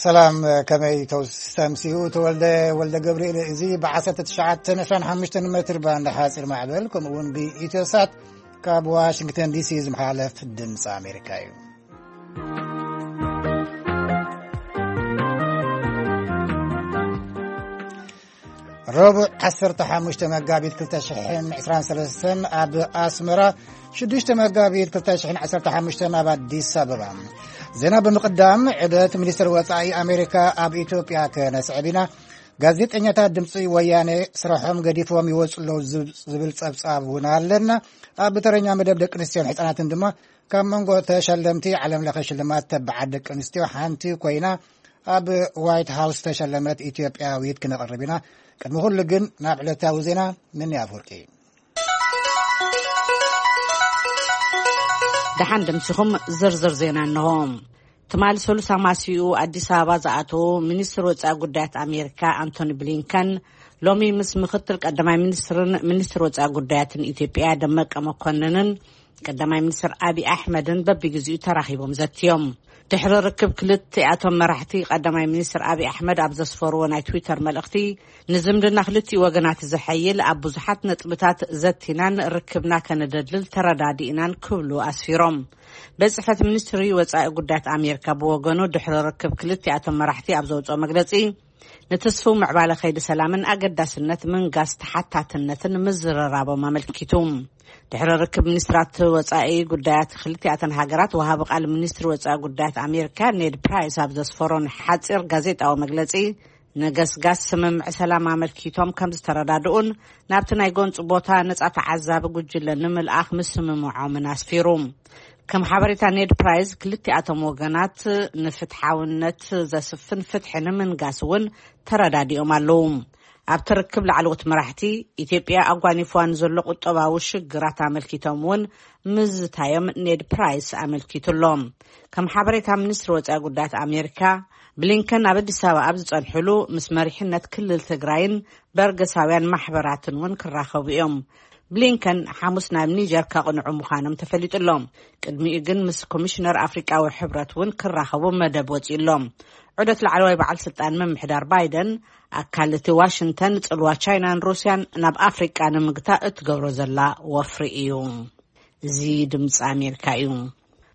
ሰላም፣ ከመይ ተውስ-፣ ተምሲኡ ተወልደ ወልደ ገብርኤል። እዚ ብ1925 ሜትር ባንድ ሓፂር ማዕበል፣ ከምኡ እውን ብኢትዮሳት ካብ ዋሽንግተን ዲሲ ዝመሓለፍ ድምፂ ኣሜሪካ እዩ። ረቡዕ 15 መጋቢት 2023 ኣብ ኣስመራ፣ 6 መጋቢት 2015 ኣብ ኣዲስ ኣበባ። ዜና ብምቕዳም፣ ዕደት ሚኒስትር ወጻኢ ኣሜሪካ ኣብ ኢትዮጵያ ከነስዕብ ኢና። ጋዜጠኛታት ድምፂ ወያነ ስራሖም ገዲፎም ይወፁ ኣለዉ ዝብ-፣ ዝብል ጸብጻብ እውን ኣለና። ኣብ ተረኛ መደብ ደቂ ኣንስትዮን ሕፃናትን ድማ ካብ መንጎ ተሸለምቲ ዓለም ለኸ ሽልማት ተባዓት ደቂ ኣንስትዮ ሓንቲ ኮይና ኣብ ዋይት ሃውስ ተሸለመት ኢትዮጵያዊት ክነቕርብ ኢና። ቅድሚ ኩሉ ግን ናብ ዕለታዊ ዜና ምኒ ኣፍወርቂ። ደሓን ደምሲኹም ዝርዝር ዜና እንሆ። ትማሊ ሰሉስ ኣማሲኡ ኣዲስ ኣበባ ዝኣተዉ ሚኒስትር ወጻኢ ጉዳያት ኣሜሪካ ኣንቶኒ ብሊንከን ሎሚ ምስ ምክትል ቀዳማይ ሚኒስትርን ሚኒስትር ወጻኢ ጉዳያትን ኢትዮጵያ ደመቀ መኮንንን ቀዳማይ ሚኒስትር ኣቢ ኣሕመድን በብግዜኡ ተራኺቦም ዘትዮም። ድሕሪ ርክብ ክልቲኣቶም መራሕቲ፣ ቀዳማይ ሚኒስትር ኣቢ ኣሕመድ ኣብ ዘስፈርዎ ናይ ትዊተር መልእኽቲ፣ ንዝምድና ክልቲኡ ወገናት ዘሐይል ኣብ ብዙሓት ነጥብታት ዘቲናን ርክብና ከነደልድል ተረዳዲእናን ክብሉ ኣስፊሮም። ቤት ጽሕፈት ሚኒስትሪ ወጻኢ ጉዳያት ኣሜሪካ ብወገኑ፣ ድሕሪ ርክብ ክልቲኣቶም መራሕቲ ኣብ ዘውጽኦ መግለጺ፣ ንትስፉው ምዕባለ ከይዲ ሰላምን ኣገዳስነት ምንጋስ ተሓታትነትን ምዝርራቦም ኣመልኪቱ። ድሕሪ ርክብ ሚኒስትራት ወጻኢ ጉዳያት ክልቲኣተን ሃገራት፣ ወሃቢ ቃል ሚኒስትሪ ወጻኢ ጉዳያት ኣሜሪካ ኔድ ፕራይስ ኣብ ዘስፈሮን ሓጺር ጋዜጣዊ መግለጺ፣ ንገስጋስ ስምምዕ ሰላም ኣመልኪቶም ከም ዝተረዳድኡን ናብቲ ናይ ጎንፂ ቦታ ነጻ ተዓዛቢ ጉጅለ ንምልኣኽ ምስምምዖምን ኣስፊሩ። ከም ሓበሬታ ኔድ ፕራይስ፣ ክልቲኣቶም ወገናት ንፍትሓውነት ዘስፍን ፍትሒ ንምንጋስ እውን ተረዳዲኦም ኣለዉ። ኣብቲ ርክብ ላዕለዎት መራሕቲ፣ ኢትዮጵያ ኣጓኒፍዋ ንዘሎ ቁጠባዊ ሽግራት ኣመልኪቶም እውን ምዝታዮም ኔድ ፕራይስ ኣመልኪቱ ኣሎ። ከም ሓበሬታ ሚኒስትሪ ወጻኢ ጉዳያት ኣሜሪካ፣ ብሊንከን ኣብ ኣዲስ ኣበባ ኣብ ዝጸንሕሉ፣ ምስ መሪሕነት ክልል ትግራይን በርገሳውያን ማሕበራትን እውን ክራኸቡ እዮም። ብሊንከን ሓሙስ ናብ ኒጀር ከቕንዑ ምዃኖም ተፈሊጡ ኣሎ። ቅድሚኡ ግን ምስ ኮሚሽነር ኣፍሪቃዊ ሕብረት እውን ክራኸቡ መደብ ወጺኡ ኣሎ። ዑደት ላዕለዋይ በዓል ስልጣን ምምሕዳር ባይደን፣ ኣካል እቲ ዋሽንግተን ጽልዋ ቻይናን ሩስያን ናብ ኣፍሪቃ ንምግታእ እትገብሮ ዘላ ወፍሪ እዩ። እዚ ድምፂ ኣሜሪካ እዩ።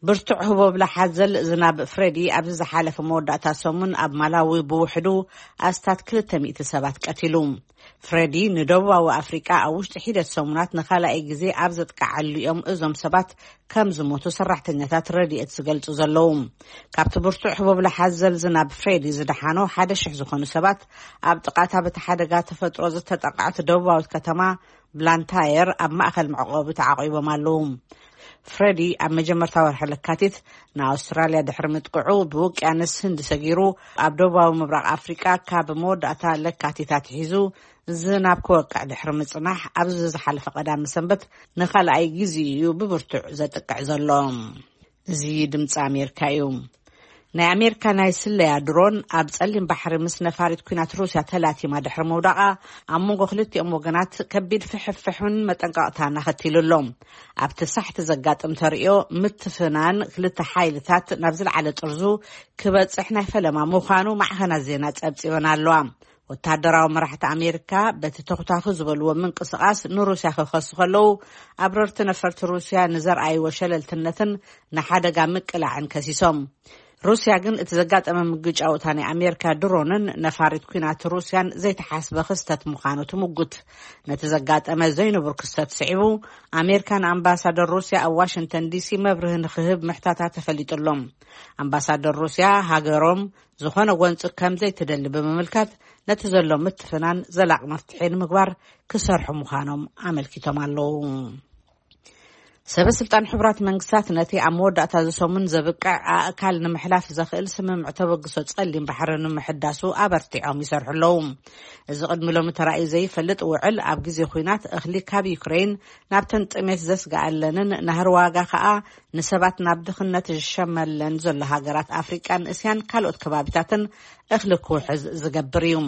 ብርቱዕ ህቦብላ ሓዘል ዝናብ ፍሬዲ ኣብዚ ዝሓለፈ መወዳእታ ሰሙን ኣብ ማላዊ ብውሕዱ ኣስታት 200 ሰባት ቀቲሉ። ፍሬዲ ንደቡባዊ ኣፍሪቃ ኣብ ውሽጢ ሒደት ሰሙናት ንኻልኣይ ግዜ ኣብ ዘጥቅዓሉ እዮም እዞም ሰባት ከም ዝሞቱ ሰራሕተኛታት ረድኤት ዝገልጹ ዘለዉ። ካብቲ ብርቱዕ ህቦብላ ሓዘል ዝናብ ፍሬዲ ዝደሓኑ ሓደ ሽሕ ዝኾኑ ሰባት ኣብ ጥቓታ በቲ ሓደጋ ተፈጥሮ ዝተጠቕዐት ደቡባዊት ከተማ ብላንታየር ኣብ ማእከል መዕቆቢ ተዓቒቦም ኣለዉ። ፍሬዲ ኣብ መጀመርታ ወርሒ ለካቲት ንኣውስትራልያ ድሕሪ ምጥቅዑ፣ ብውቅያኖስ ህንዲ ሰጊሩ ኣብ ደቡባዊ ምብራቕ ኣፍሪቃ ካብ መወዳእታ ለካቲት ኣትሒዙ ዝናብ ክወቅዕ ድሕሪ ምጽናሕ፣ ኣብዚ ዝሓለፈ ቀዳሚ ሰንበት ንኻልኣይ ግዜ እዩ ብብርቱዕ ዘጥቅዕ ዘሎ። እዚ ድምፂ ኣሜሪካ እዩ። ናይ ኣሜሪካ ናይ ስለያ ድሮን ኣብ ጸሊም ባሕሪ ምስ ነፋሪት ኲናት ሩስያ ተላቲማ ድሕሪ ምውዳቓ፣ ኣብ መንጎ ክልቲኦም ወገናት ከቢድ ፍሕፍሕን መጠንቀቕታን ኣኸቲሉ ኣሎ። ኣብቲ ሳሕቲ ዘጋጥም ተርእዮ ምትፍናን ክልተ ሓይልታት ናብ ዝለዓለ ጥርዙ ክበጽሕ ናይ ፈለማ ምዃኑ ማዕኸናት ዜና ጸብጺበን ኣለዋ። ወታደራዊ መራሕቲ ኣሜሪካ በቲ ተኹታኹ ዝበልዎ ምንቅስቓስ ንሩስያ ክኸሱ ከለዉ፣ ኣብረርቲ ነፈርቲ ሩስያ ንዘርኣይዎ ሸለልትነትን ንሓደጋ ምቅላዕን ከሲሶም። ሩስያ ግን እቲ ዘጋጠመ ምግጫውታ ናይ ኣሜሪካ ድሮንን ነፋሪት ኲናት ሩስያን ዘይተሓስበ ክስተት ምዃኑ ትምጉት። ነቲ ዘጋጠመ ዘይንቡር ክስተት ስዒቡ፣ ኣሜሪካ ንኣምባሳደር ሩስያ ኣብ ዋሽንግተን ዲሲ መብርሂ ንክህብ ምሕታታ ተፈሊጡ ኣሎ። ኣምባሳደር ሩስያ ሃገሮም ዝኾነ ጎንፂ ከም ዘይትደሊ ብምምልካት፣ ነቲ ዘሎ ምትፍናን ዘላቕ መፍትሒ ንምግባር ክሰርሑ ምዃኖም ኣመልኪቶም ኣለዉ። ሰበ ስልጣን ሕቡራት መንግስታት ነቲ ኣብ መወዳእታ እዚ ሰሙን ዘብቅዕ ኣእካል ንምሕላፍ ዘኽእል ስምምዕ ተበግሶ ጸሊም ባሕሪ ንምሕዳሱ ኣበርቲዖም ይሰርሑ ኣለዉ። እዚ ቅድሚ ሎሚ ተራእዩ ዘይፈልጥ ውዕል፣ ኣብ ግዜ ኲናት እኽሊ ካብ ዩክሬን ናብተን ጥሜት ዘስግኣለንን ናህሪ ዋጋ ከኣ ንሰባት ናብ ድኽነት ዝሸመለን ዘሎ ሃገራት ኣፍሪቃን እስያን ካልኦት ከባቢታትን እኽሊ ክውሕዝ ዝገብር እዩ።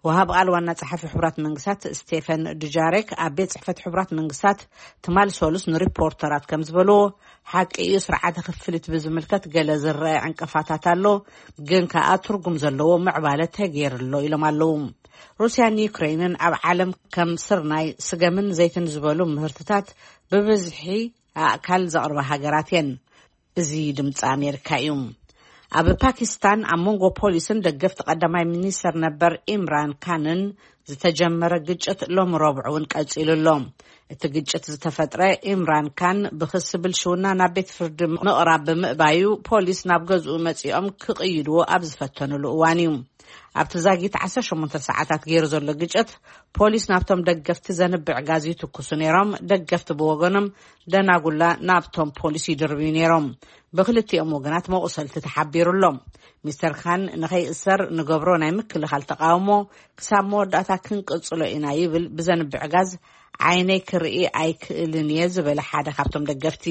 ወሃብ ቃል ዋና ጸሓፊ ሕቡራት መንግስታት ስቴፈን ዱጃሬክ ኣብ ቤት ጽሕፈት ሕቡራት መንግስታት ትማል ሰሉስ ንሪፖርተራት ከም ዝበልዎ፣ ሓቂ እዩ፣ ስርዓተ ክፍሊት ብዝምልከት ገለ ዝረአ ዕንቅፋታት ኣሎ፣ ግን ከኣ ትርጉም ዘለዎ ምዕባለ ተገይሩ ኣሎ ኢሎም ኣለዉ። ሩስያን ዩክሬንን ኣብ ዓለም ከም ስርናይ፣ ስገምን ዘይትን ዝበሉ ምህርትታት ብብዝሒ ኣእካል ዘቕርባ ሃገራት እየን። እዚ ድምፂ ኣሜሪካ እዩ። ኣብ ፓኪስታን ኣብ መንጎ ፖሊስን ደገፍቲ ቀዳማይ ሚኒስተር ነበር ኢምራን ካንን ዝተጀመረ ግጭት ሎሚ ረቡዕ እውን ቀጺሉ ኣሎ። እቲ ግጭት ዝተፈጥረ፣ ኢምራን ካን ብክሲ ብልሽውና ናብ ቤት ፍርዲ ምቕራብ ብምእባዩ፣ ፖሊስ ናብ ገዝኡ መጺኦም ክቕይድዎ ኣብ ዝፈተኑሉ እዋን እዩ። ኣብቲ ዛጊት ዓሰርተ ሸሞንተ ሰዓታት ገይሩ ዘሎ ግጭት፣ ፖሊስ ናብቶም ደገፍቲ ዘንብዕ ጋዝ ይትኩሱ ነይሮም። ደገፍቲ ብወገኖም ደናጉላ ናብቶም ፖሊስ ይድርብዩ ነይሮም። ብክልቲኦም ወገናት መቑሰልቲ ተሓቢሩ ኣሎ። ሚስተር ካን ንኸይእሰር ንገብሮ ናይ ምክልኻል ተቃውሞ ክሳብ መወዳእታ ክንቅጽሎ ኢና ይብል ብዘንብዕ ጋዝ ዓይነይ ክርኢ ኣይክእልን እየ ዝበለ ሓደ ካብቶም ደገፍቲ።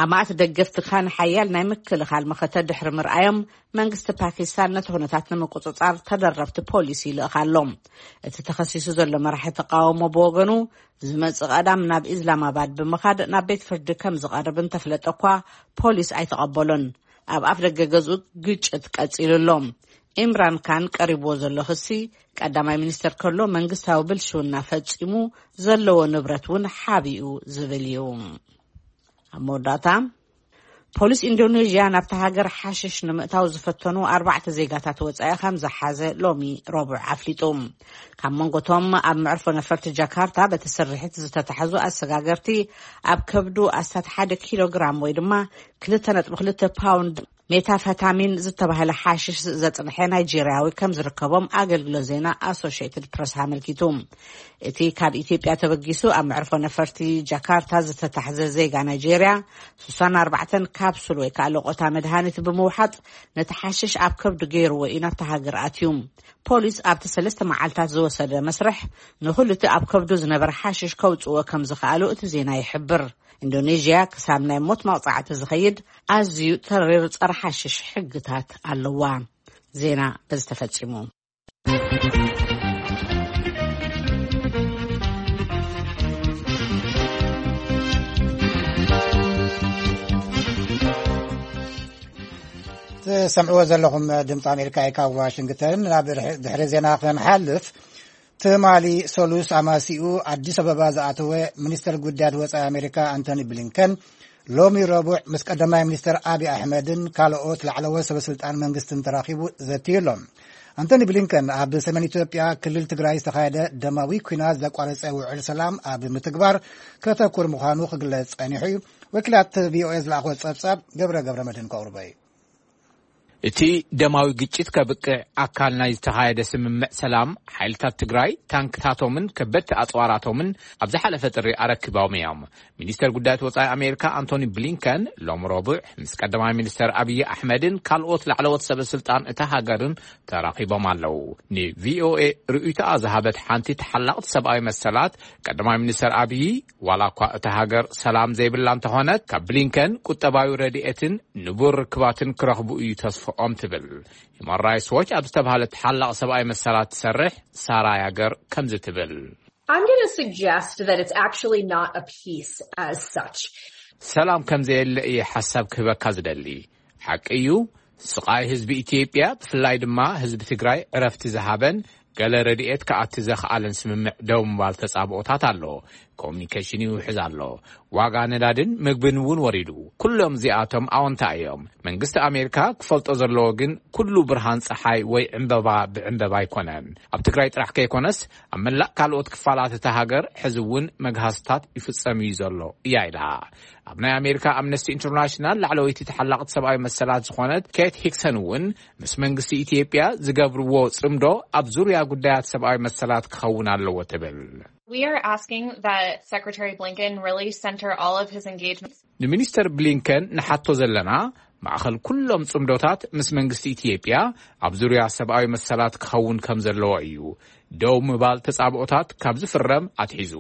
ኣማእት ደገፍቲ ካን ሓያል ናይ ምክልኻል መኸተ ድሕሪ ምርኣዮም መንግስቲ ፓኪስታን ነቲ ኩነታት ንምቁጽጻር ተደረብቲ ፖሊስ ይልእኽ ኣሎ። እቲ ተኸሲሱ ዘሎ መራሒ ተቃውሞ ብወገኑ ዝመጽእ ቀዳም ናብ ኢስላማባድ ብምኻድ ናብ ቤት ፍርዲ ከም ዝቐርብ እንተፍለጠ እኳ ፖሊስ ኣይተቐበሎን። ኣብ ኣፍ ደገ ገዝኡ ግጭት ቀጺሉ ኣሎ። ኢምራን ካን ቀሪብዎ ዘሎ ክሲ ቀዳማይ ሚኒስተር ከሎ መንግስታዊ ብልሽውና ፈጺሙ፣ ዘለዎ ንብረት እውን ሓቢኡ ዝብል እዩ። ኣብ መወዳእታ ፖሊስ ኢንዶኔዥያ ናብታ ሃገር ሓሽሽ ንምእታው ዝፈተኑ ኣርባዕተ ዜጋታት ወጻኢ ከም ዝሓዘ ሎሚ ረቡዕ ኣፍሊጡ። ካብ መንጎቶም ኣብ መዕርፎ ነፈርቲ ጃካርታ በቲ ስርሒት ዝተታሕዙ ኣሰጋገርቲ ኣብ ከብዱ ኣስታት ሓደ ኪሎ ግራም ወይ ድማ ክልተ ነጥቢ ክልተ ፓውንድ ሜታፈታሚን ዝተባህለ ሓሽሽ ዘጽንሐ ናይጄርያዊ ከም ዝርከቦም ኣገልግሎት ዜና ኣሶሽየትድ ፕረስ ኣመልኪቱ። እቲ ካብ ኢትዮጵያ ተበጊሱ ኣብ መዕርፎ ነፈርቲ ጃካርታ ዝተታሕዘ ዜጋ ናይጄርያ፣ ስሳን ኣርባዕተን ካፕሱል ወይ ከዓ ለቆታ መድሃኒት ብምውሓጥ ነቲ ሓሽሽ ኣብ ከብዱ ገይርዎ እዩ ናብቲ ሃገር ኣትዩ። ፖሊስ ኣብቲ ሰለስተ መዓልታት ዝወሰደ መስርሕ ንኹሉ እቲ ኣብ ከብዱ ዝነበረ ሓሽሽ ከውፅዎ ከም ዝኸኣሉ እቲ ዜና ይሕብር። ኢንዶኔዥያ ክሳብ ናይ ሞት መቕፃዕቲ ዝኸይድ ኣዝዩ ተሪር ጸረ ሓሽሽ ሕግታት ኣለዋ። ዜና በዚ ተፈጺሙ። ትሰምዕዎ ዘለኹም ድምፂ ኣሜሪካ እዩ፣ ካብ ዋሽንግተን። ናብ ድሕሪ ዜና ክንሓልፍ፣ ትማሊ ሰሉስ ኣማሲኡ ኣዲስ ኣበባ ዝኣተወ ሚኒስተር ጉዳያት ወጻኢ ኣሜሪካ ኣንቶኒ ብሊንከን ሎሚ ረቡዕ ምስ ቀዳማይ ሚኒስተር ኣብይ ኣሕመድን ካልኦት ላዕለዎት ሰበስልጣን መንግስትን ተራኺቡ ዘትዩ ኣሎ። ኣንቶኒ ብሊንከን ኣብ ሰሜን ኢትዮጵያ ክልል ትግራይ ዝተኻየደ ደማዊ ኲናት ዘቋረጸ ውዕል ሰላም ኣብ ምትግባር ከተኩር ምዃኑ ክግለጽ ጸኒሑ እዩ። ወኪላት ቪኦኤ ዝለኣኽዎ ጸብጻብ ገብረ ገብረ መድህን ከቕርቦ እዩ። እቲ ደማዊ ግጭት ከብቅዕ ኣካል ናይ ዝተኻየደ ስምምዕ ሰላም፣ ሓይልታት ትግራይ ታንክታቶምን ከበድቲ ኣጽዋራቶምን ኣብ ዝሓለፈ ጥሪ ኣረኪቦም እዮም። ሚኒስተር ጉዳያት ወጻኢ ኣሜሪካ ኣንቶኒ ብሊንከን ሎም ረቡዕ ምስ ቀዳማይ ሚኒስተር ኣብይ ኣሕመድን ካልኦት ላዕለዎት ሰበ ስልጣን እታ ሃገርን ተራኺቦም ኣለዉ። ንቪኦኤ ርእይቶኣ ዝሃበት ሓንቲ ተሓላቕቲ ሰብኣዊ መሰላት፣ ቀዳማይ ሚኒስተር ኣብይ ዋላ እኳ እታ ሃገር ሰላም ዘይብላ እንተኾነት፣ ካብ ብሊንከን ቁጠባዊ ረድኤትን ንቡር ርክባትን ክረኽቡ እዩ ተስፍኦም ትብል። ሂማን ራይትስ ዎች ኣብ ዝተባህለ ተሓላቕ ሰብኣዊ መሰላት ትሰርሕ ሳራ ያገር ከምዚ ትብል። I'm going to suggest that it's actually not a peace as such. ሰላም ከም ዘየለ እየ ሓሳብ ክህበካ ዝደሊ። ሓቂ እዩ፣ ስቓይ ህዝቢ ኢትዮጵያ፣ ብፍላይ ድማ ህዝቢ ትግራይ ዕረፍቲ ዝሃበን ገለ ረድኤት ክኣቲ ዘኽኣለን ስምምዕ ደው ምባል ተጻብኦታት ኣሎ። ኮሚኒኬሽን ይውሕዝ ኣሎ። ዋጋ ነዳድን ምግብን እውን ወሪዱ። ኩሎም እዚኣቶም ኣወንታ እዮም። መንግስቲ ኣሜሪካ ክፈልጦ ዘለዎ ግን ኩሉ ብርሃን ጸሓይ ወይ ዕምበባ ብዕምበባ ኣይኮነን። ኣብ ትግራይ ጥራሕ ከይኮነስ ኣብ መላእ ካልኦት ክፋላት እታ ሃገር ሕዚ እውን መግሃስታት ይፍጸም እዩ ዘሎ እያ ኢላ። ኣብ ናይ ኣሜሪካ ኣምነስቲ ኢንተርናሽናል ላዕለወይቲ ተሓላቕቲ ሰብኣዊ መሰላት ዝኾነት ኬት ሂክሰን እውን ምስ መንግስቲ ኢትዮጵያ ዝገብርዎ ጽምዶ ኣብ ዙርያ ጉዳያት ሰብኣዊ መሰላት ክኸውን ኣለዎ ትብል። We are asking that Secretary Blinken really center all of his engagements. ንሚኒስተር ብሊንከን ንሓቶ ዘለና ማእኸል ኩሎም ጽምዶታት ምስ መንግስቲ ኢትዮጵያ ኣብ ዙርያ ሰብኣዊ መሰላት ክኸውን ከም ዘለዎ እዩ። ደው ምባል ተጻብኦታት ካብ ዝፍረም ኣትሒዙ፣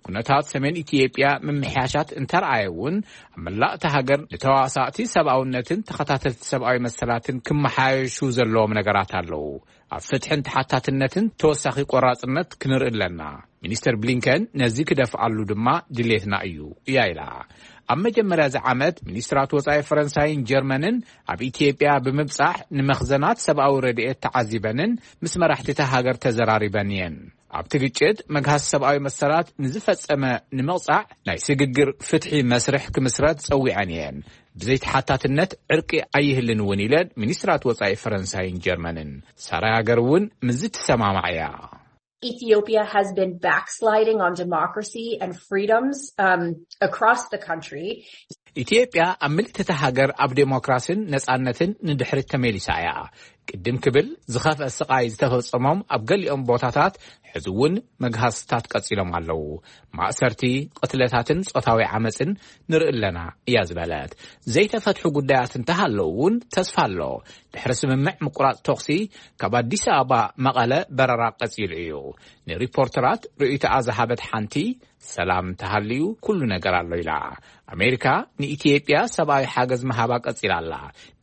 ኩነታት ሰሜን ኢትዮጵያ ምምሕያሻት እንተረኣየ እውን፣ ኣብ መላእ እታ ሃገር ንተዋሳእቲ ሰብኣውነትን ተኸታተልቲ ሰብኣዊ መሰላትን ክመሓየሹ ዘለዎም ነገራት ኣለዉ። ኣብ ፍትሕን ተሓታትነትን ተወሳኺ ቆራጽነት ክንርኢ ኣለና። ሚኒስተር ብሊንከን ነዚ ክደፍኣሉ ድማ ድሌትና እዩ እያ ኢላ። ኣብ መጀመርያ እዚ ዓመት ሚኒስትራት ወጻኢ ፈረንሳይን ጀርመንን ኣብ ኢትዮጵያ ብምብጻሕ ንመኽዘናት ሰብኣዊ ረድኤት ተዓዚበንን ምስ መራሕቲ እታ ሃገር ተዘራሪበን እየን። ኣብቲ ግጭት መግሃስ ሰብኣዊ መሰላት ንዝፈጸመ ንምቕጻዕ ናይ ስግግር ፍትሒ መስርሕ ክምስረት ጸዊዐን እየን። ብዘይተሓታትነት ዕርቂ ኣይህልን እውን ኢለን ሚኒስትራት ወጻኢ ፈረንሳይን ጀርመንን። ሳራይ ሃገር እውን ምስዚ ትሰማማዕ እያ። Ethiopia has been backsliding on democracy and freedoms um, across the country. ኢትዮጵያ ኣብ ምልእቲ እታ ሃገር ኣብ ዴሞክራሲን ነጻነትን ንድሕሪት ተመሊሳ እያ። ቅድም ክብል ዝኸፍአ ስቓይ ዝተፈጸሞም ኣብ ገሊኦም ቦታታት ሕዚ እውን መግሃስታት ቀጺሎም ኣለዉ። ማእሰርቲ፣ ቅትለታትን ጾታዊ ዓመጽን ንርኢ ኣለና እያ ዝበለት። ዘይተፈትሑ ጉዳያት እንተሃለዉ እውን ተስፋ ኣሎ። ድሕሪ ስምምዕ ምቁራጽ ተኹሲ ካብ ኣዲስ ኣበባ መቐለ በረራ ቀጺሉ እዩ። ንሪፖርተራት ርእይቶኣ ዝሃበት ሓንቲ፣ ሰላም እንተሃልዩ ኩሉ ነገር ኣሎ ኢላ። ኣሜሪካ ንኢትዮጵያ ሰብኣዊ ሓገዝ ምሃባ ቀጺላ ኣላ።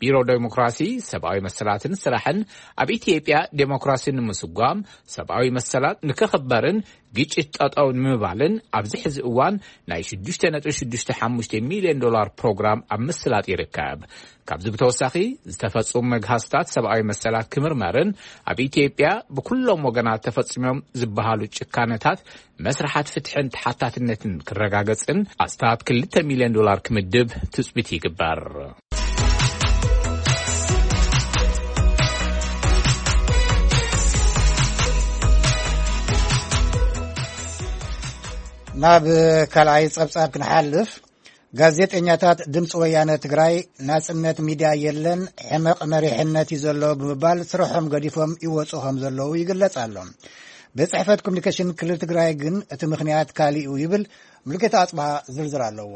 ቢሮ ዴሞክራሲ፣ ሰብኣዊ መሰላትን ስራሕን ኣብ ኢትዮጵያ ዴሞክራሲ ንምስጓም፣ ሰብኣዊ መሰላት ንክኽበርን ግጭት ጠጠው ንምባልን ኣብዚ ሕዚ እዋን ናይ ሽዱሽተ ነጥቢ ሽዱሽተ ሓሙሽተ ሚልዮን ዶላር ፕሮግራም ኣብ ምስላጥ ይርከብ። ካብዚ ብተወሳኺ ዝተፈጸሙ መግሃስታት ሰብኣዊ መሰላት ክምርመርን ኣብ ኢትዮጵያ ብኩሎም ወገናት ተፈጺሞም ዝበሃሉ ጭካነታት መስርሓት ፍትሕን ተሓታትነትን ክረጋገጽን ኣስታት ክልተ ሚልዮን ዶላር ክምድብ ትጽቢት ይግበር። ናብ ካልኣይ ጸብጻብ ክንሓልፍ፣ ጋዜጠኛታት ድምፂ ወያነ ትግራይ ናፅነት ሚድያ የለን፣ ሕመቕ መሪሕነት እዩ ዘሎ ብምባል ስርሖም ገዲፎም ይወፁ ከም ዘለዉ ይግለፅ ኣሎ። ቤት ፅሕፈት ኮሚኒኬሽን ክልል ትግራይ ግን እቲ ምኽንያት ካሊእ እዩ ይብል። ሙሉጌታ ኣፅብሃ ዝርዝር ኣለዎ።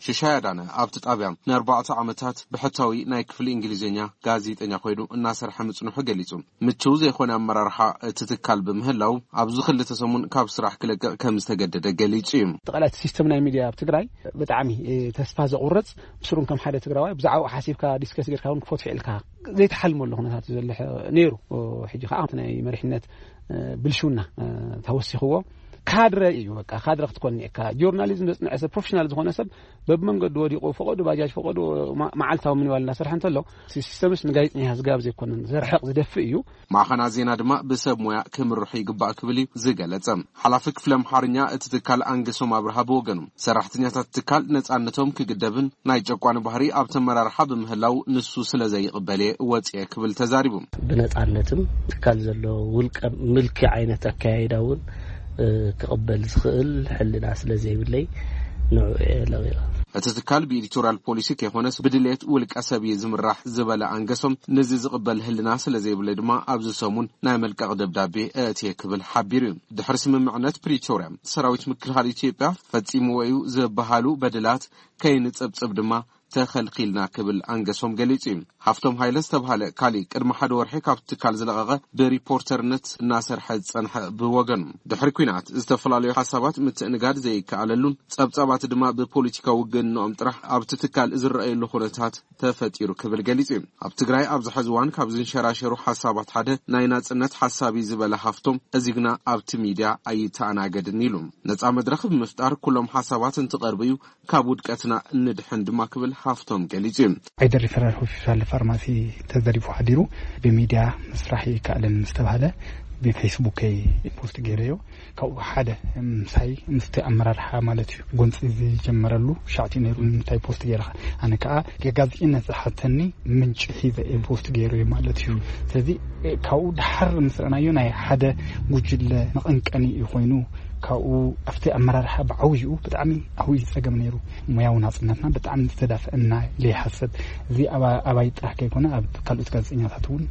ሽሻይ ኣዳነ ኣብቲ ጣብያ ንኣርባዕተ ዓመታት ብሕታዊ ናይ ክፍሊ እንግሊዝኛ ጋዜጠኛ ኮይኑ እናሰርሐ ምፅንሑ ገሊፁ። ምችው ዘይኮነ ኣመራርሓ እቲ ትካል ብምህላው ኣብዚ ክልተ ሰሙን ካብ ስራሕ ክለቅቕ ከም ዝተገደደ ገሊፁ እዩ። ጠቕላላ እቲ ሲስተም ናይ ሚድያ ኣብ ትግራይ ብጣዕሚ ተስፋ ዘቑርፅ፣ ምስሩን ከም ሓደ ትግራዋይ ብዛዕባኡ ሓሲብካ ዲስከስ ጌርካ እውን ክፈትሖ ኢልካ ዘይትሓልመሉ ኩነታት እዩ ዘሎ ነይሩ። ሕጂ ከዓ እቲ ናይ መሪሕነት ብልሽውና ተወሲኽዎ ካድረ እዩ። በቃ ካድረ ክትኮን እኒኤካ። ጆርናሊዝም ዘፅንዐ ሰብ፣ ፕሮፌሽናል ዝኾነ ሰብ በብመንገዱ ወዲቑ ፈቐዱ ባጃጅ ፈቐዱ መዓልታዊ ምንባል እናሰርሐ እንተሎ፣ ሲስተምስ ንጋዜጠኛ ዝጋብዝ ኣይኮነን፣ ዘርሕቕ ዝደፍእ እዩ። ማዕኸናት ዜና ድማ ብሰብ ሞያ ክምርሑ ይግባእ ክብል እዩ ዝገለጸ። ሓላፊ ክፍሊ ኣምሓርኛ እቲ ትካል ኣንገሶም ኣብርሃ ብወገኑ፣ ሰራሕተኛታት ትካል ነጻነቶም ክግደብን ናይ ጨቋኒ ባህሪ ኣብቲ ኣመራርሓ ብምህላው ንሱ ስለ ዘይቕበል እየ ወጺኤ ክብል ተዛሪቡ። ብነጻነትም ትካል ዘሎ ውልቀ ምልኪ ዓይነት ኣካያይዳ እውን ክቕበል ዝኽእል ሕልና ስለ ዘይብለይ ንዑ እየ ለቒቐ። እቲ ትካል ብኤዲቶሪያል ፖሊሲ ከይኮነስ ብድሌት ውልቀ ሰብ እዩ ዝምራሕ ዝበለ ኣንገሶም፣ ነዚ ዝቕበል ህልና ስለ ዘይብለይ ድማ ኣብዚ ሰሙን ናይ መልቀቕ ደብዳቤ እእትየ ክብል ሓቢሩ እዩ። ድሕሪ ስምምዕነት ፕሪቶርያ ሰራዊት ምክልኻል ኢትዮጵያ ፈጺምዎ እዩ ዝበሃሉ በደላት ከይንጸብጽብ ድማ ተኸልኺልና ክብል ኣንገሶም ገሊጹ እዩ። ሃፍቶም ሃይለ ዝተብሃለ ካሊእ ቅድሚ ሓደ ወርሒ ካብቲ ትካል ዝለቐቐ ብሪፖርተርነት እናሰርሐ ዝጸንሐ ብወገኑ፣ ድሕሪ ኲናት ዝተፈላለዩ ሓሳባት ምትእንጋድ ዘይከኣለሉን ጸብጻባት ድማ ብፖለቲካዊ ውግንኦም ጥራሕ ኣብቲ ትካል ዝረኣየሉ ኩነታት ተፈጢሩ ክብል ገሊጹ እዩ። ኣብ ትግራይ ኣብዚ ሕዚ እዋን ካብ ዝንሸራሸሩ ሓሳባት ሓደ ናይ ናጽነት ሓሳብ እዩ ዝበለ ሃፍቶም፣ እዚ ግና ኣብቲ ሚድያ ኣይተኣናገድን ኢሉ። ነጻ መድረኽ ብምፍጣር ኩሎም ሓሳባት እንትቐርቡ እዩ ካብ ውድቀትና እንድሕን ድማ ክብል ሃፍቶም ገሊጹ እዩ። ዓይደር ሪፈራል ሆስፒታል ፋርማሲ ተዘሪፉ ሓዲሩ። ብሚድያ ምስራሕ ይከኣልን ምስ ተባህለ ብፌስቡከይ ፖስት ገይረዮ። ካብኡ ሓደ ምሳይ ምስቲ ኣመራርሓ ማለት እዩ ጎንፂ ዝጀመረሉ ሻዕቲ ነይሩ። ንምንታይ ፖስት ገይረኻ? ኣነ ከዓ የጋዜጠኝነት ዝሓተኒ ምንጪ ሒዘ እየ ፖስት ገይረዮ ማለት እዩ። ስለዚ ካብኡ ደሓር ምስ ረኣናዮ ናይ ሓደ ጉጅለ መቐንቀኒ እዩ ኮይኑ። ካብኡ ኣብቲ ኣመራርሓ ብዓብይኡ ብጣዕሚ ዓብይ ጸገም ነይሩ። ሞያዊ ናጽነትና ብጣዕሚ ዝተዳፈአና ኢለ ይሓስብ። እዚ ኣባ- ኣባይ ጥራሕ ከይኮነ ኣብ ካልኦት ጋዜጠኛታት እውን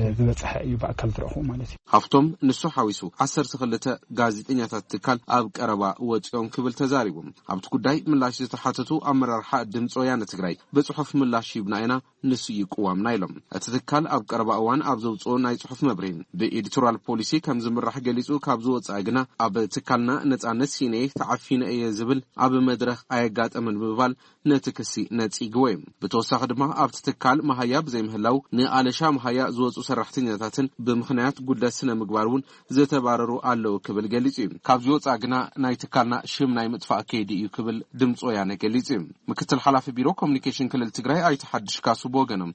እ፣ ዝበጽሐ እዩ ብኣካል ዝረኽቡ ማለት እዩ። ሃፍቶም ንሱ ሓዊሱ ዓሰርተ ክልተ ጋዜጠኛታት ትካል ኣብ ቀረባ ወፂኦም ክብል ተዛሪቡ። ኣብቲ ጉዳይ ምላሽ ዝተሓተቱ ኣመራርሓ ድምፂ ወያነ ትግራይ ብፅሑፍ ምላሽ ሂብና ኢና፣ ንሱ እዩ ቅዋምና ኢሎም። እቲ ትካል ኣብ ቀረባ እዋን ኣብ ዘውፅኦ ናይ ፅሑፍ መብርሂ ብኤዲቶራል ፖሊሲ ከም ዝምራሕ ገሊፁ ካብ ዝወፅኣ ግና ኣብ ትካልና ነፃነት ሲነ ተዓፊነ እየ ዝብል ኣብ መድረኽ ኣየጋጠመን ብምባል ነቲ ክሲ ነጺግዎ እዩ። ብተወሳኺ ድማ ኣብቲ ትካል መሃያ ብዘይምህላው ንኣለሻ መሃያ ዝወፁ ሰራሕተኛታትን ብምኽንያት ጉድለት ስነ ምግባር እውን ዝተባረሩ ኣለዉ ክብል ገሊጹ እዩ። ካብዚ ወፃኢ ግና ናይ ትካልና ሽም ናይ ምጥፋእ ከይዲ እዩ ክብል ድምፂ ወያነ ገሊጹ እዩ። ምክትል ሓላፊ ቢሮ ኮሚኒኬሽን ክልል ትግራይ ኣይተ ሓድሽ ካሱ ብወገኖም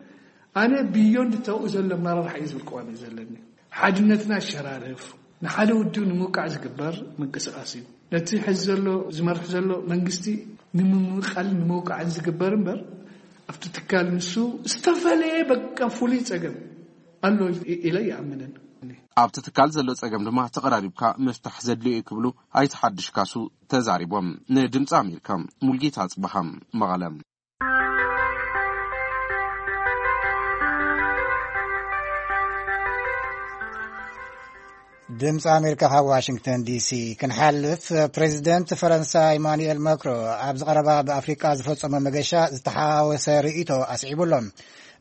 ኣነ ብዮንድ ተብኡ ዘሎ ኣመራርሓ እዩ ዝብል ቅዋም እዩ ዘለኒ። ሓድነትና ኣሸራርፍ ንሓደ ውድብ ንምውቃዕ ዝግበር ምንቅስቃስ እዩ። ነቲ ሕዚ ዘሎ ዝመርሕ ዘሎ መንግስቲ ንምምቃልን ንምውቃዕን ዝግበር እምበር ኣብቲ ትካል ንሱ ዝተፈለየ በቃ ፍሉይ ጸገም ኣሎ ኢለ ይኣምንን። ኣብቲ ትካል ዘሎ ጸገም ድማ ተቐራሪብካ ምፍታሕ ዘድልዮ እዩ ክብሉ ኣይተ ሓድሽ ካሱ ተዛሪቦም። ንድምፂ ኣሜሪካ ሙልጌታ ኣፅበሃ መቐለ። ድምፂ ኣሜሪካ ካብ ዋሽንግተን ዲሲ ክንሓልፍ፣ ፕሬዚደንት ፈረንሳ ኢማኑኤል ማክሮ ኣብዚ ቀረባ ብኣፍሪቃ ዝፈጸሞ መገሻ ዝተሓዋወሰ ርእይቶ ኣስዒቡ ኣሎ።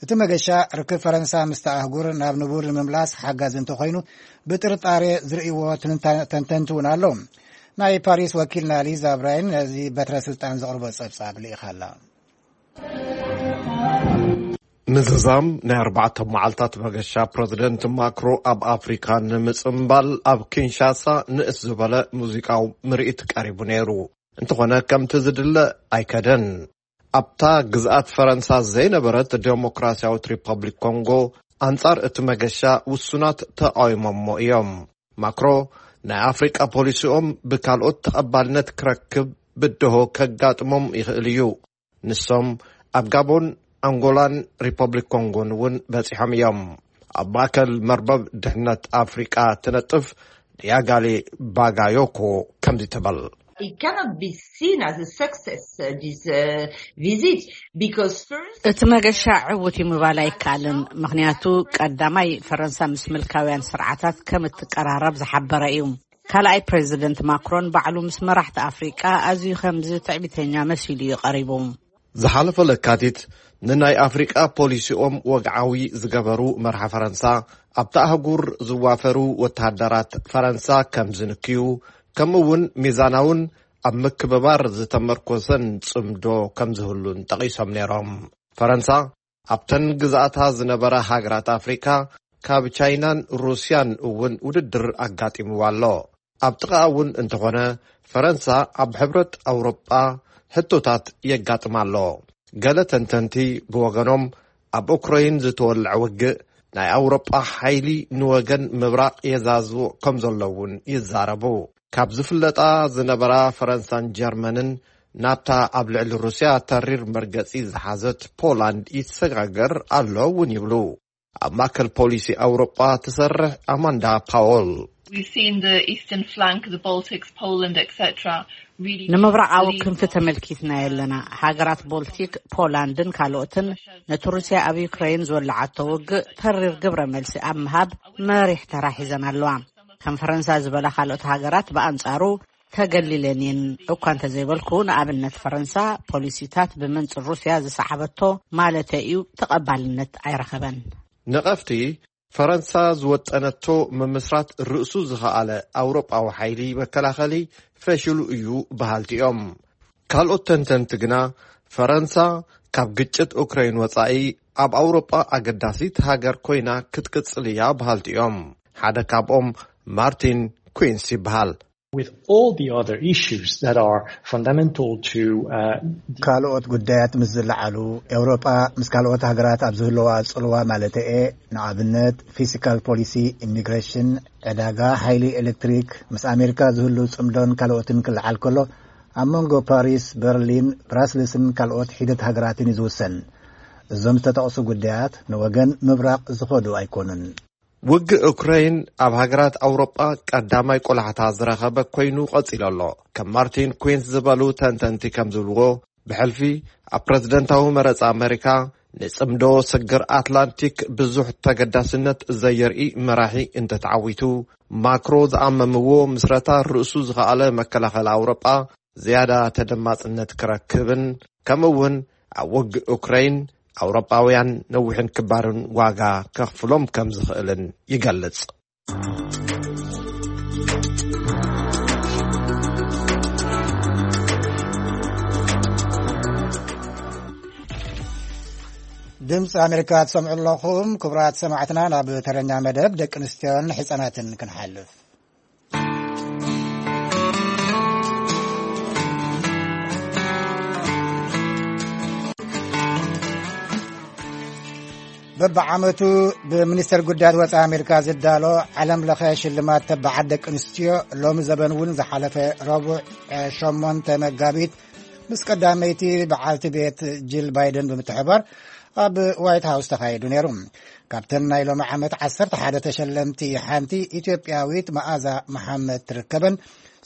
እቲ መገሻ ርክብ ፈረንሳ ምስቲ ኣህጉር ናብ ንቡር ንምምላስ ሓጋዚ እንተኾይኑ ብጥርጣሬ ዝርእይዎ ትንታ- ተንተንቲ እውን ኣለዉ። ናይ ፓሪስ ወኪልና ሊዛ ብራይን ነዚ በትረ ስልጣን ዘቕርቦ ጸብጻብ ልኢኻ ኣላ። ምዝዛም ናይ ኣርባዕተ መዓልታት መገሻ ፕረዚደንት ማክሮ ኣብ ኣፍሪካ ንምጽምባል ኣብ ኪንሻሳ ንእስ ዝበለ ሙዚቃዊ ምርኢት ቀሪቡ ነይሩ። እንተኾነ ከምቲ ዝድለ ኣይከደን። ኣብታ ግዝኣት ፈረንሳ ዘይነበረት ዴሞክራሲያዊት ሪፐብሊክ ኮንጎ ኣንጻር እቲ መገሻ ውሱናት ተቃዊሞሞ እዮም። ማክሮ ናይ ኣፍሪቃ ፖሊሲኦም ብካልኦት ተቐባልነት ክረክብ ብድሆ ከጋጥሞም ይኽእል እዩ። ንሶም ኣብ ጋቦን፣ ኣንጎላን ሪፐብሊክ ኮንጎን እውን በጺሖም እዮም። ኣብ ማእከል መርበብ ድሕነት ኣፍሪቃ ትነጥፍ ዲያጋሌ ባጋዮኮ ከምዚ ትብል። It cannot be seen as a success, uh, this uh, visit, because first እቲ መገሻ ዕዉት እዩ ምባል ኣይከኣልን። ምኽንያቱ ቀዳማይ ፈረንሳ ምስ ምልካውያን ስርዓታት ከም እትቀራረብ ዝሓበረ እዩ። ካልኣይ ፕሬዚደንት ማክሮን ባዕሉ ምስ መራሕቲ ኣፍሪቃ ኣዝዩ ከምዚ ትዕቢተኛ መሲሉ እዩ ቀሪቡ። ዝሓለፈ ለካቲት ንናይ ኣፍሪቃ ፖሊሲኦም ወግዓዊ ዝገበሩ መርሓ ፈረንሳ ኣብቲ ኣህጉር ዝዋፈሩ ወተሃደራት ፈረንሳ ከም ዝንክዩ፣ ከምኡ እውን ሚዛናውን ኣብ ምክብባር ዝተመርኮሰን ጽምዶ ከም ዝህሉን ጠቒሶም ነይሮም። ፈረንሳ ኣብተን ግዝኣታ ዝነበራ ሃገራት ኣፍሪካ ካብ ቻይናን ሩስያን እውን ውድድር ኣጋጢምዋ ኣሎ። ኣብ ጥቓ እውን እንተኾነ ፈረንሳ ኣብ ሕብረት ኣውሮጳ ሕቶታት የጋጥማ ኣሎ። ገለ ተንተንቲ ብወገኖም ኣብ ኡክረይን ዝተወልዐ ውግእ ናይ ኣውሮጳ ሓይሊ ንወገን ምብራቕ የዛዝቦ ከም ዘሎ እውን ይዛረቡ። ካብ ዝፍለጣ ዝነበራ ፈረንሳን ጀርመንን ናብታ ኣብ ልዕሊ ሩስያ ተሪር መርገጺ ዝሓዘት ፖላንድ ይሰጋገር ኣሎ እውን ይብሉ። ኣብ ማእከል ፖሊሲ ኣውሮጳ ትሰርሕ ኣማንዳ ፓወል። We've seen the eastern flank, the Baltics, Poland, et cetera, really ንምብራቓዊ ክንፊ ተመልኪትና ኣለና። ሃገራት ቦልቲክ፣ ፖላንድን ካልኦትን ነቲ ሩስያ ኣብ ዩክሬን ዝወለዓቶ ውግእ ተሪር ግብረ መልሲ ኣብ ምሃብ መሪሕ ተራ ሒዘን ኣለዋ። ከም ፈረንሳ ዝበላ ካልኦት ሃገራት ብኣንጻሩ ተገሊለን እየን እኳ እንተዘይበልኩ፣ ንኣብነት ፈረንሳ ፖሊሲታት ብመንጽር ሩስያ ዝሰዓበቶ ማለተይ እዩ ተቐባልነት ኣይረኸበን። ነቐፍቲ ፈረንሳ ዝወጠነቶ ምምስራት ርእሱ ዝኸኣለ ኣውሮጳዊ ሓይሊ መከላኸሊ ፈሽሉ እዩ በሃልቲ እዮም። ካልኦት ተንተንቲ ግና ፈረንሳ ካብ ግጭት ኡክረይን ወጻኢ ኣብ ኣውሮጳ ኣገዳሲት ሃገር ኮይና ክትቅጽል እያ በሃልቲ እዮም። ሓደ ካብኦም ማርቲን ኩንስ ይበሃል። With all the other issues that are fundamental to uh, ካልኦት ጉዳያት ምስ ዝለዓሉ፣ ኤውሮጳ ምስ ካልኦት ሃገራት ኣብ ዝህለዋ ጽልዋ ማለተኤ፣ ንኣብነት ፊስካል ፖሊሲ፣ ኢሚግሬሽን፣ ዕዳጋ ሓይሊ ኤሌክትሪክ፣ ምስ ኣሜሪካ ዝህሉ ጽምዶን ካልኦትን ክለዓል ከሎ፣ ኣብ መንጎ ፓሪስ፣ በርሊን፣ ብራስልስን ካልኦት ሒደት ሃገራትን እዩ ዝውሰን። እዞም ዝተጠቕሱ ጉዳያት ንወገን ምብራቕ ዝኸዱ ኣይኮኑን። ውግእ ዩክሬን ኣብ ሃገራት ኣውሮጳ ቀዳማይ ቆላሕታ ዝረኸበ ኮይኑ ቀጺሉ ኣሎ። ከም ማርቲን ኩዊንስ ዝበሉ ተንተንቲ ከም ዝብልዎ፣ ብሕልፊ ኣብ ፕረዚደንታዊ መረጻ ኣመሪካ ንጽምዶ ስግር ኣትላንቲክ ብዙሕ ተገዳስነት ዘየርኢ መራሒ እንተተዓዊቱ፣ ማክሮ ዝኣመምዎ ምስረታ ርእሱ ዝኸኣለ መከላኸሊ ኣውሮጳ ዝያዳ ተደማጽነት ክረክብን፣ ከምኡ እውን ኣብ ውግእ ዩክሬን ኣውሮጳውያን ነዊሕን ክባርን ዋጋ ከኽፍሎም ከም ዝኽእልን ይገልጽ። ድምፂ ኣሜሪካ ትሰምዑ ኣለኹም። ክቡራት ሰማዕትና፣ ናብ ተረኛ መደብ ደቂ ኣንስትዮን ሕፃናትን ክንሓልፍ። በብዓመቱ ብሚኒስተር ጉዳያት ወፃኢ ኣሜሪካ ዝዳሎ ዓለም ለኸ ሽልማት ተባዓት ደቂ ኣንስትዮ፣ ሎሚ ዘበን እውን ዝሓለፈ ረቡዕ ሸሞንተ መጋቢት ምስ ቀዳመይቲ በዓልቲ ቤት ጂል ባይደን ብምትሕባር ኣብ ዋይት ሃውስ ተኻይዱ ነይሩ። ካብተን ናይ ሎሚ ዓመት ዓሰርተ ሓደ ተሸለምቲ ሓንቲ ኢትዮጵያዊት መኣዛ መሓመድ ትርከበን።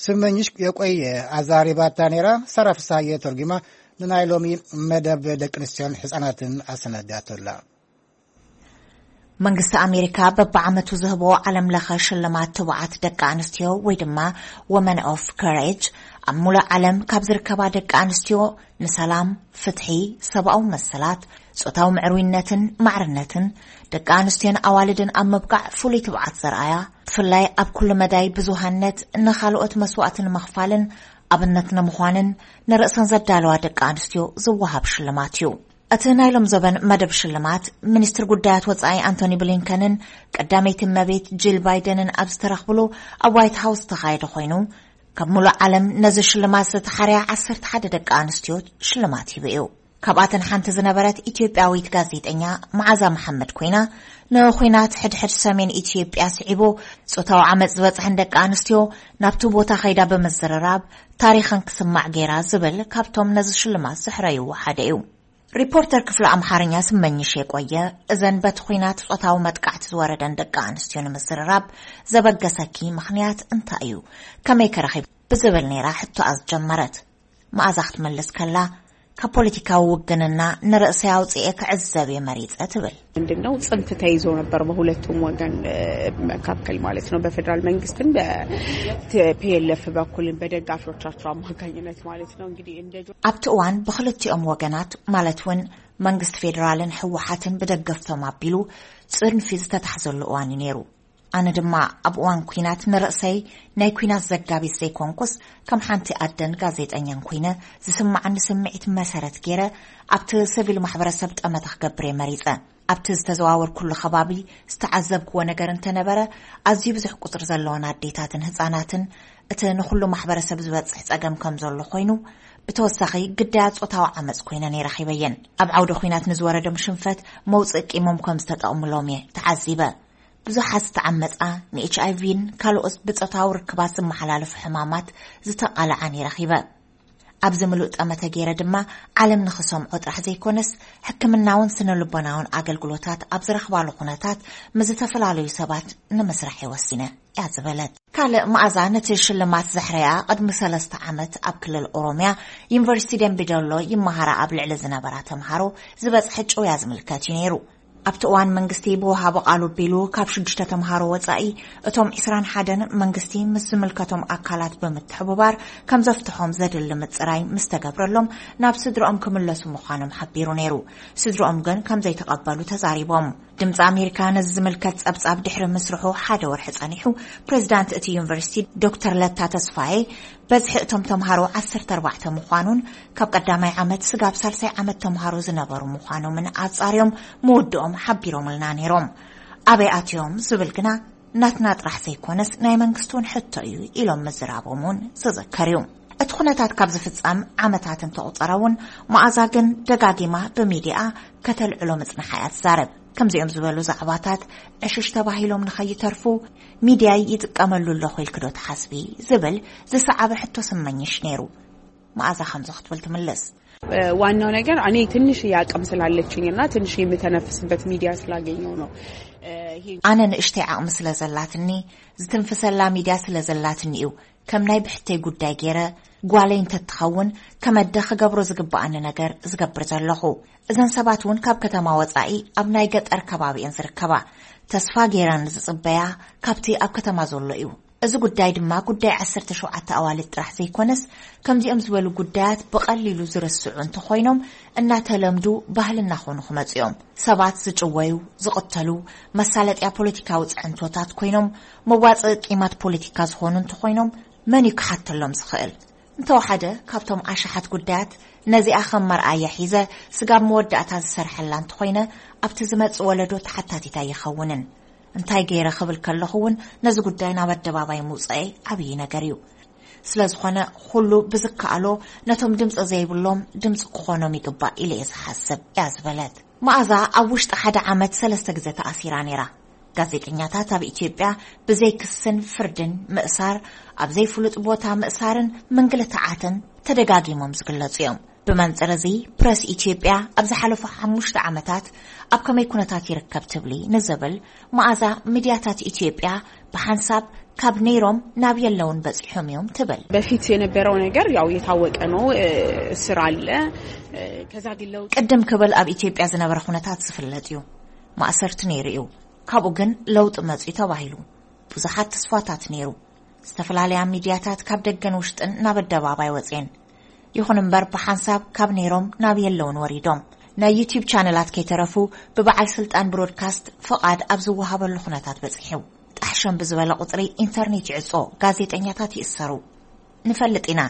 ስመኝሽ የቆየ ኣዛሪባታ ነይራ። ሳራ ፍሳየ ተርጉማ ንናይ ሎሚ መደብ ደቂ ኣንስትዮን ሕፃናትን ኣሰናዳቶላ። መንግስቲ ኣሜሪካ በብዓመቱ ዝህቦ ዓለም ለኸ ሽልማት ትቡዓት ደቂ ኣንስትዮ ወይ ድማ ወመን ኦፍ ከሬጅ ኣብ ሙሉእ ዓለም ካብ ዝርከባ ደቂ ኣንስትዮ ንሰላም፣ ፍትሒ፣ ሰብኣዊ መሰላት፣ ጾታዊ ምዕሩይነትን ማዕርነትን፣ ደቂ ኣንስትዮን ኣዋልድን ኣብ ምብቃዕ ፍሉይ ትብዓት ዘርኣያ፣ ብፍላይ ኣብ ኩሉ መዳይ ብዙሃነት ንኻልኦት መስዋእቲ ንምኽፋልን ኣብነት ንምዃንን ንርእሰን ዘዳለዋ ደቂ ኣንስትዮ ዝወሃብ ሽልማት እዩ። እቲ ናይ ሎም ዘበን መደብ ሽልማት፣ ሚኒስትር ጉዳያት ወጻኢ ኣንቶኒ ብሊንከንን ቀዳመይቲ እመቤት ጂል ባይደንን ኣብ ዝተረኽብሉ ኣብ ዋይት ሃውስ ዝተኻየደ ኮይኑ፣ ካብ ሙሉእ ዓለም ነዚ ሽልማት ዝተሓርያ ዓሰርተ ሓደ ደቂ ኣንስትዮ ሽልማት ሂቡ እዩ። ካብኣተን ሓንቲ ዝነበረት ኢትዮጵያዊት ጋዜጠኛ መዓዛ መሓመድ ኮይና፣ ንኹናት ሕድሕድ ሰሜን ኢትዮጵያ ስዒቡ ጾታዊ ዓመጽ ዝበጽሐን ደቂ ኣንስትዮ ናብቲ ቦታ ከይዳ ብምዝርራብ ታሪኸን ክስማዕ ገይራ ዝብል ካብቶም ነዚ ሽልማት ዘሕረይዎ ሓደ እዩ። ሪፖርተር ክፍሊ ኣምሓርኛ ስመኝሽ የቆየ፣ እዘን በቲ ኹናት ጾታዊ መጥቃዕቲ ዝወረደን ደቂ ኣንስትዮ ንምዝርራብ ዘበገሰኪ ምኽንያት እንታይ እዩ? ከመይ ከ ረኺብ? ብዝብል ነይራ ሕቶኣ ዝጀመረት። መኣዛ ክትመልስ ከላ፣ ካብ ፖለቲካዊ ውግንና ንርእሰይ ኣውጽኤ ክዕዘብ እየ መሪጸ ትብል። ምንድነው ጽንፍ ተይዞ ነበር በሁለቱም ወገን፣ እ፣ መካከል ማለት ነው። በፌዴራል መንግስትም በ-፣ ቲ-፣ ፒ ኤል ኤፍ በኩልም በደጋፊዎቻቸው አማካኝነት ማለት ነው። እንግዲህ እንደ ጆ- ኣብቲ እዋን ብክልቲኦም ወገናት ማለት እውን መንግስቲ ፌዴራልን ህወሓትን ብደገፍቶም ኣቢሉ ጽንፊ ዝተታሕዘሉ እዋን እዩ ነይሩ። ኣነ ድማ ኣብ እዋን ኲናት ንርእሰይ ናይ ኲናት ዘጋቢት ዘይኮንኩስ፣ ከም ሓንቲ ኣደን ጋዜጠኛን ኮይነ ዝስምዓኒ ስምዒት መሰረት ገይረ ኣብቲ ሲቪል ማሕበረሰብ ጠመተ ክገብር እየ መሪጸ። ኣብቲ ዝተዘዋወርኩሉ ከባቢ ዝተዓዘብክዎ ነገር እንተነበረ፣ ኣዝዩ ብዙሕ ቁጽሪ ዘለወን ኣዴታትን ህጻናትን እቲ ንኹሉ ማሕበረሰብ ዝበጽሕ ጸገም ከም ዘሎ ኮይኑ፣ ብተወሳኺ ግዳያት ጾታዊ ዓመጽ ኮይነን እየ ረኺበየን። ኣብ ዓውደ ኲናት ንዝወረዶም ሽንፈት መውጽኢ ቂሞም ከም ዝተጠቕምሎም እየ ተዓዚበ። ብዙሓት ዝተዓመጻ፣ ንኤች ኣይ ቪን ካልኦት ብጾታዊ ርክባት ዝመሓላለፉ ሕማማት ዝተቓልዓን ይረኺበ። ኣብዚ ምሉእ ጠመተ ገይረ ድማ ዓለም ንኽሰምዖ ጥራሕ ዘይኮነስ፣ ሕክምናውን ስነ ልቦናውን ኣገልግሎታት ኣብ ዝረኽባሉ ኩነታት ምስ ዝተፈላለዩ ሰባት ንምስራሕ እየ ወሲነ እያ ዝበለት። ካልእ መኣዛ ነቲ ሽልማት ዘሕረያ ቅድሚ ሰለስተ ዓመት ኣብ ክልል ኦሮምያ ዩኒቨርሲቲ ደምቢ ዶሎ ይመሃራ ኣብ ልዕሊ ዝነበራ ተምሃሮ ዝበጽሐ ጭውያ ዝምልከት እዩ ነይሩ። ኣብቲ እዋን መንግስቲ ብወሃቦ ቃል ኣቢሉ ካብ ሽዱሽተ ተምሃሮ ወጻኢ እቶም ዕስራን ሓደን መንግስቲ ምስ ዝምልከቶም ኣካላት ብምትሕብባር ከም ዘፍትሖም ዘድሊ ምጽራይ ምስ ተገብረሎም ናብ ስድርኦም ክምለሱ ምዃኖም ሓቢሩ ነይሩ። ስድርኦም ግን ከም ዘይተቐበሉ ተዛሪቦም። ድምፂ ኣሜሪካ ነዚ ዝምልከት ጸብጻብ ድሕሪ ምስርሑ ሓደ ወርሒ ጸኒሑ፣ ፕሬዚዳንት እቲ ዩኒቨርሲቲ ዶክተር ለታ ተስፋዬ በዝሒ እቶም ተምሃሮ ዓሰርተ ኣርባዕተ ምዃኑን ካብ ቀዳማይ ዓመት ስጋብ ሳልሳይ ዓመት ተምሃሮ ዝነበሩ ምዃኖምን ኣጻርዮም ምውድኦም ሓቢሮምልና ነይሮም። ኣበይ ኣትዮም ዝብል ግና ናትና ጥራሕ ዘይኮነስ ናይ መንግስቲ እውን ሕቶ እዩ ኢሎም ምዝራቦም እውን ዝዝከር እዩ። እቲ ኩነታት ካብ ዝፍጸም ዓመታት እንተቑጸረ እውን፣ መኣዛ ግን ደጋጊማ ብሚድያ ከተልዕሎ ምጽንሓ እያ ትዛረብ። ከምዚኦም ዝበሉ ዛዕባታት ዕሽሽ ተባሂሎም ንኸይተርፉ፣ ሚድያይ ይጥቀመሉ ኣለኹ ኢልኪ ዶ ትሓስቢ? ዝብል ዝሰዓበ ሕቶ ስመኝሽ ነይሩ። መኣዛ ከምዚ ክትብል ትምልስ። እ፣ ዋናው ነገር እኔ ትንሽ አቅም ስላለችኝ እና ትንሽ የምተነፍስበት ሚዲያ ስላገኘው ነው። እ፣ ኣነ ንእሽተይ ዓቕሚ ስለ ዘላትኒ፣ ዝትንፍሰላ ሚድያ ስለ ዘላትኒ እዩ ከም ናይ ብሕተይ ጉዳይ ገይረ፣ ጓለይ እንተትኸውን ከመደ ክገብሮ ዝግብኣኒ ነገር ዝገብር ዘለኹ። እዘን ሰባት እውን ካብ ከተማ ወጻኢ ኣብ ናይ ገጠር ከባቢ እየን ዝርከባ። ተስፋ ገይረን ዝጽበያ ካብቲ ኣብ ከተማ ዘሎ እዩ። እዚ ጉዳይ ድማ ጉዳይ ዓሰርተ ሸውዓተ ኣዋልድ ጥራሕ ዘይኮነስ፣ ከምዚኦም ዝበሉ ጉዳያት ብቐሊሉ ዝርስዑ እንተኾይኖም፣ እናተለምዱ ባህሊ እናኾኑ ክመጹ እዮም። ሰባት ዝጭወዩ፣ ዝቕተሉ፣ መሳለጥያ ፖለቲካዊ ጽዕንቶታት ኮይኖም፣ መዋጽኢ ቂማት ፖለቲካ ዝኾኑ እንተኾይኖም፣ መን እዩ ክሓተሎም ዝኽእል? እንተወሓደ ካብቶም ኣሽሓት ጉዳያት ነዚኣ ከም መርኣያ ሒዘ ስጋብ መወዳእታ ዝሰርሐላ እንተኾይነ፣ ኣብቲ ዝመጽእ ወለዶ ተሓታቲት ኣይኸውንን። እንታይ ገይረ ክብል ከለኹ እውን ነዚ ጉዳይ ናብ ኣደባባይ ምውጻኤ ዓብዪ ነገር እዩ። ስለ ዝኾነ ኩሉ ብዝከኣሎ ነቶም ድምፂ ዘይብሎም ድምፂ ክኾኖም ይግባእ ኢለ እየ ዝሓስብ እያ ዝበለት። መኣዛ ኣብ ውሽጢ ሓደ ዓመት ሰለስተ ግዜ ተኣሲራ ነይራ። ጋዜጠኛታት ኣብ ኢትዮጵያ ብዘይ ክስን ፍርድን ምእሳር፣ ኣብ ዘይፍሉጥ ቦታ ምእሳርን ምንግልታዓትን ተደጋጊሞም ዝግለጹ እዮም። ብመንጽር እዚ፣ ፕረስ ኢትዮጵያ ኣብ ዝሓለፉ ሓሙሽተ ዓመታት ኣብ ከመይ ኩነታት ይርከብ ትብሊ ንዝብል፣ መኣዛ፣ ሚድያታት ኢትዮጵያ ብሓንሳብ ካብ ነይሮም ናብ የለውን በጺሖም እዮም ትብል። በፊት የነበረው ነገር ያው የታወቀ ነው። እ፣ እስር አለ። እ፣ ከዛ ግን ለውጥ ቅድም ክብል ኣብ ኢትዮጵያ ዝነበረ ኩነታት ዝፍለጥ እዩ። ማእሰርቲ ነይሩ እዩ። ካብኡ ግን ለውጢ መጺኡ ተባሂሉ። ብዙሓት ተስፋታት ነይሩ። ዝተፈላለያ ሚድያታት ካብ ደገን ውሽጥን ናብ ኣደባባይ ወፅየን። ይኹን እምበር ብሓንሳብ ካብ ነይሮም ናብ የለውን ወሪዶም። ናይ ዩቲዩብ ቻነላት ከይተረፉ ብበዓል ስልጣን ብሮድካስት ፍቓድ ኣብ ዝወሃበሉ ኩነታት በፂሑ። ጣሕሸም ብዝበለ ቁፅሪ ኢንተርኔት ይዕጾ፣ ጋዜጠኛታት ይእሰሩ። ንፈልጥ ኢና፣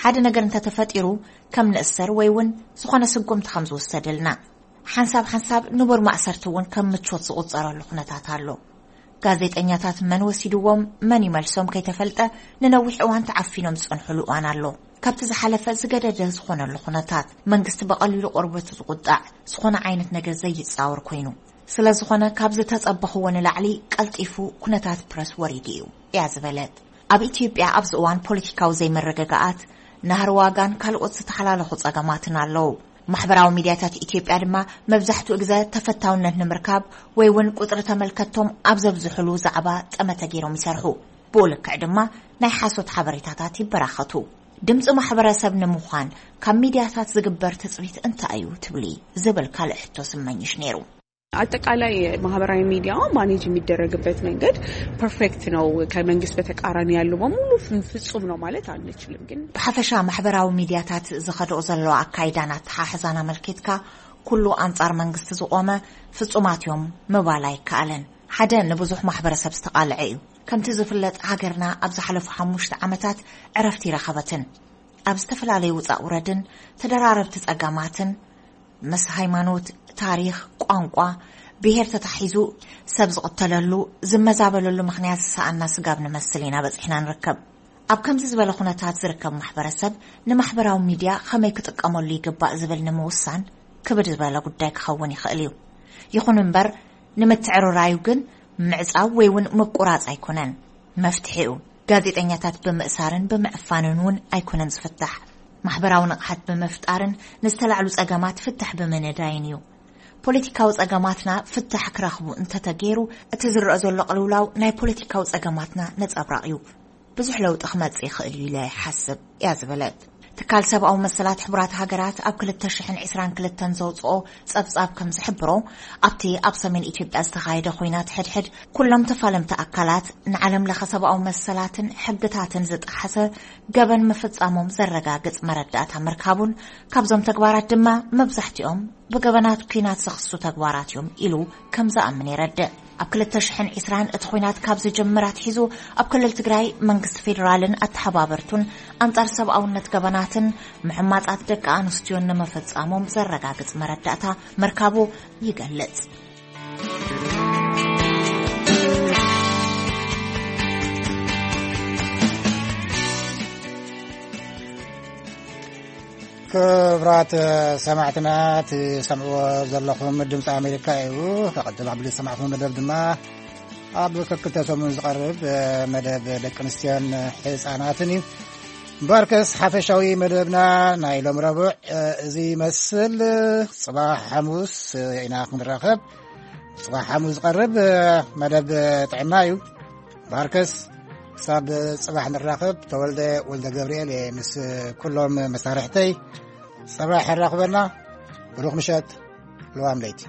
ሓደ ነገር እንተተፈጢሩ ከም ንእሰር ወይ እውን ዝኾነ ስጉምቲ ከም ዝውሰደልና። ሓንሳብ ሓንሳብ ንቡር ማእሰርቲ እውን ከም ምቾት ዝቑጸረሉ ኩነታት ኣሎ። ጋዜጠኛታት መን ወሲድዎም፣ መን ይመልሶም ከይተፈልጠ ንነዊሕ እዋን ተዓፊኖም ዝጸንሑሉ እዋን ኣሎ። ካብቲ ዝሓለፈ ዝገደደ ዝኾነሉ ኩነታት፣ መንግስቲ ብቐሊሉ ቆርበቱ ዝቑጣዕ፣ ዝኾነ ዓይነት ነገር ዘይጻወር ኮይኑ። ስለ ዝኾነ ካብ ዝተጸበኽዎ ንላዕሊ ቀልጢፉ ኩነታት ፕረስ ወሪዱ እዩ እያ ዝበለት። ኣብ ኢትዮጵያ ኣብዚ እዋን ፖለቲካዊ ዘይመረጋጋኣት፣ ናህሪ ዋጋን ካልኦት ዝተሓላለኹ ጸገማትን ኣለዉ። ማሕበራዊ ሚድያታት ኢትዮጵያ ድማ መብዛሕትኡ ግዘ ተፈታውነት ንምርካብ ወይ እውን ቁፅሪ ተመልከትቶም ኣብ ዘብዝሕሉ ዛዕባ ጠመተ ገይሮም ይሰርሑ። ብኡ ልክዕ ድማ ናይ ሓሶት ሓበሬታታት ይበራኸቱ። ድምፂ ማሕበረሰብ ንምዃን ካብ ሚድያታት ዝግበር ትፅቢት እንታይ እዩ ትብሊ ዝብል ካልእ ሕቶ ስመኝሽ ነይሩ። አጠቃላይ ማህበራዊ ሚዲያ ማኔጅ የሚደረግበት መንገድ ፐርፌክት ነው፣ ከመንግስት በተቃራኒ ያለው በሙሉ ፍ- ፍጹም ነው ማለት አንችልም። ግን ብሓፈሻ ማሕበራዊ ሚድያታት ዝኸድኦ ዘለዋ ኣካይዳን ኣተሓሕዛን ኣመልኪትካ ኩሉ ኣንጻር መንግስቲ ዝቖመ ፍጹማት እዮም ምባል ኣይከኣልን። ሓደ ንብዙሕ ማሕበረሰብ ዝተቓልዐ እዩ። ከምቲ ዝፍለጥ ሃገርና ኣብ ዝሓለፉ ሓሙሽተ ዓመታት ዕረፍቲ ይረኸበትን ኣብ ዝተፈላለዩ ውፃእ ውረድን ተደራረብቲ ጸገማትን ምስ ሃይማኖት፣ ታሪኽ፣ ቋንቋ፣ ብሄር ተታሒዙ ሰብ ዝቕተለሉ፣ ዝመዛበለሉ ምኽንያት ዝሰኣና ስጋብ ንመስል ኢና በጺሕና ንርከብ። ኣብ ከምዚ ዝበለ ኩነታት ዝርከብ ማሕበረሰብ ንማሕበራዊ ሚድያ ኸመይ ክጥቀመሉ ይግባእ ዝብል ንምውሳን ክብድ ዝበለ ጉዳይ ክኸውን ይኽእል እዩ። ይኹን እምበር ንምትዕርራዩ ግን ምዕጻው ወይ እውን ምቁራጽ ኣይኮነን መፍትሒኡ። ጋዜጠኛታት ብምእሳርን ብምዕፋንን እውን ኣይኮነን ዝፍታሕ። ማሕበራዊ ንቕሓት ብምፍጣርን ንዝተላዕሉ ጸገማት ፍታሕ ብምንዳይን እዩ። ፖለቲካዊ ጸገማትና ፍታሕ ክረኽቡ እንተተገይሩ፣ እቲ ዝረአ ዘሎ ቅልውላው ናይ ፖለቲካዊ ጸገማትና ነጸብራቕ እዩ። ብዙሕ ለውጢ ክመጽእ ይኽእል እዩ ኢለ ይሓስብ እያ ዝበለት። ትካል ሰብኣዊ መሰላት ሕቡራት ሃገራት ኣብ ክልተ ሽሕን ዕስራን ክልተን ዘውፅኦ ጸብጻብ ከም ዝሕብሮ፣ ኣብቲ ኣብ ሰሜን ኢትዮጵያ ዝተኻየደ ኹናት ሕድሕድ ኩሎም ተፋለምቲ ኣካላት ንዓለም ለኸ ሰብኣዊ መሰላትን ሕግታትን ዝጠሓሰ ገበን ምፍጻሞም ዘረጋግጽ መረዳእታ ምርካቡን ካብዞም ተግባራት ድማ መብዛሕትኦም ብገበናት ኲናት ዘኽሱ ተግባራት እዮም ኢሉ ከም ዝኣምን የረድእ። ኣብ ክልተ ሽሕን ዕስራን እቲ ኹናት ካብ ዝጅምር ኣትሒዙ ኣብ ክልል ትግራይ መንግስቲ ፌዴራልን ኣተሓባበርቱን ኣንጻር ሰብኣውነት ገበናትን ምሕማጻት ደቂ ኣንስትዮን ንምፍጻሞም ዘረጋግጽ መረዳእታ ምርካቡ ይገልጽ። ክብራት ሰማዕትና፣ ትሰምዕዎ ዘለኹም ድምፂ ኣሜሪካ እዩ። ከቐድም ኣብ ዝሰማዕኹም መደብ ድማ ኣብ ክልተ ሰሙን ዝቐርብ መደብ ደቂ ኣንስትዮን ህፃናትን እዩ። እምበኣርከስ ሓፈሻዊ መደብና ናይ ሎም ረቡዕ እዚ ይመስል። ፅባሕ ሓሙስ ኢና ክንራኸብ። ጽባሕ ሓሙስ ዝቐርብ መደብ ጥዕና እዩ። ባርከስ፣ ክሳብ ጽባሕ ንራኸብ። ተወልደ ወልደ ገብርኤል እየ ምስ ኩሎም መሳርሕተይ። ጽባሕ ኣራኽበና። ብሩኽ ምሸት። ልዋም ለይቲ።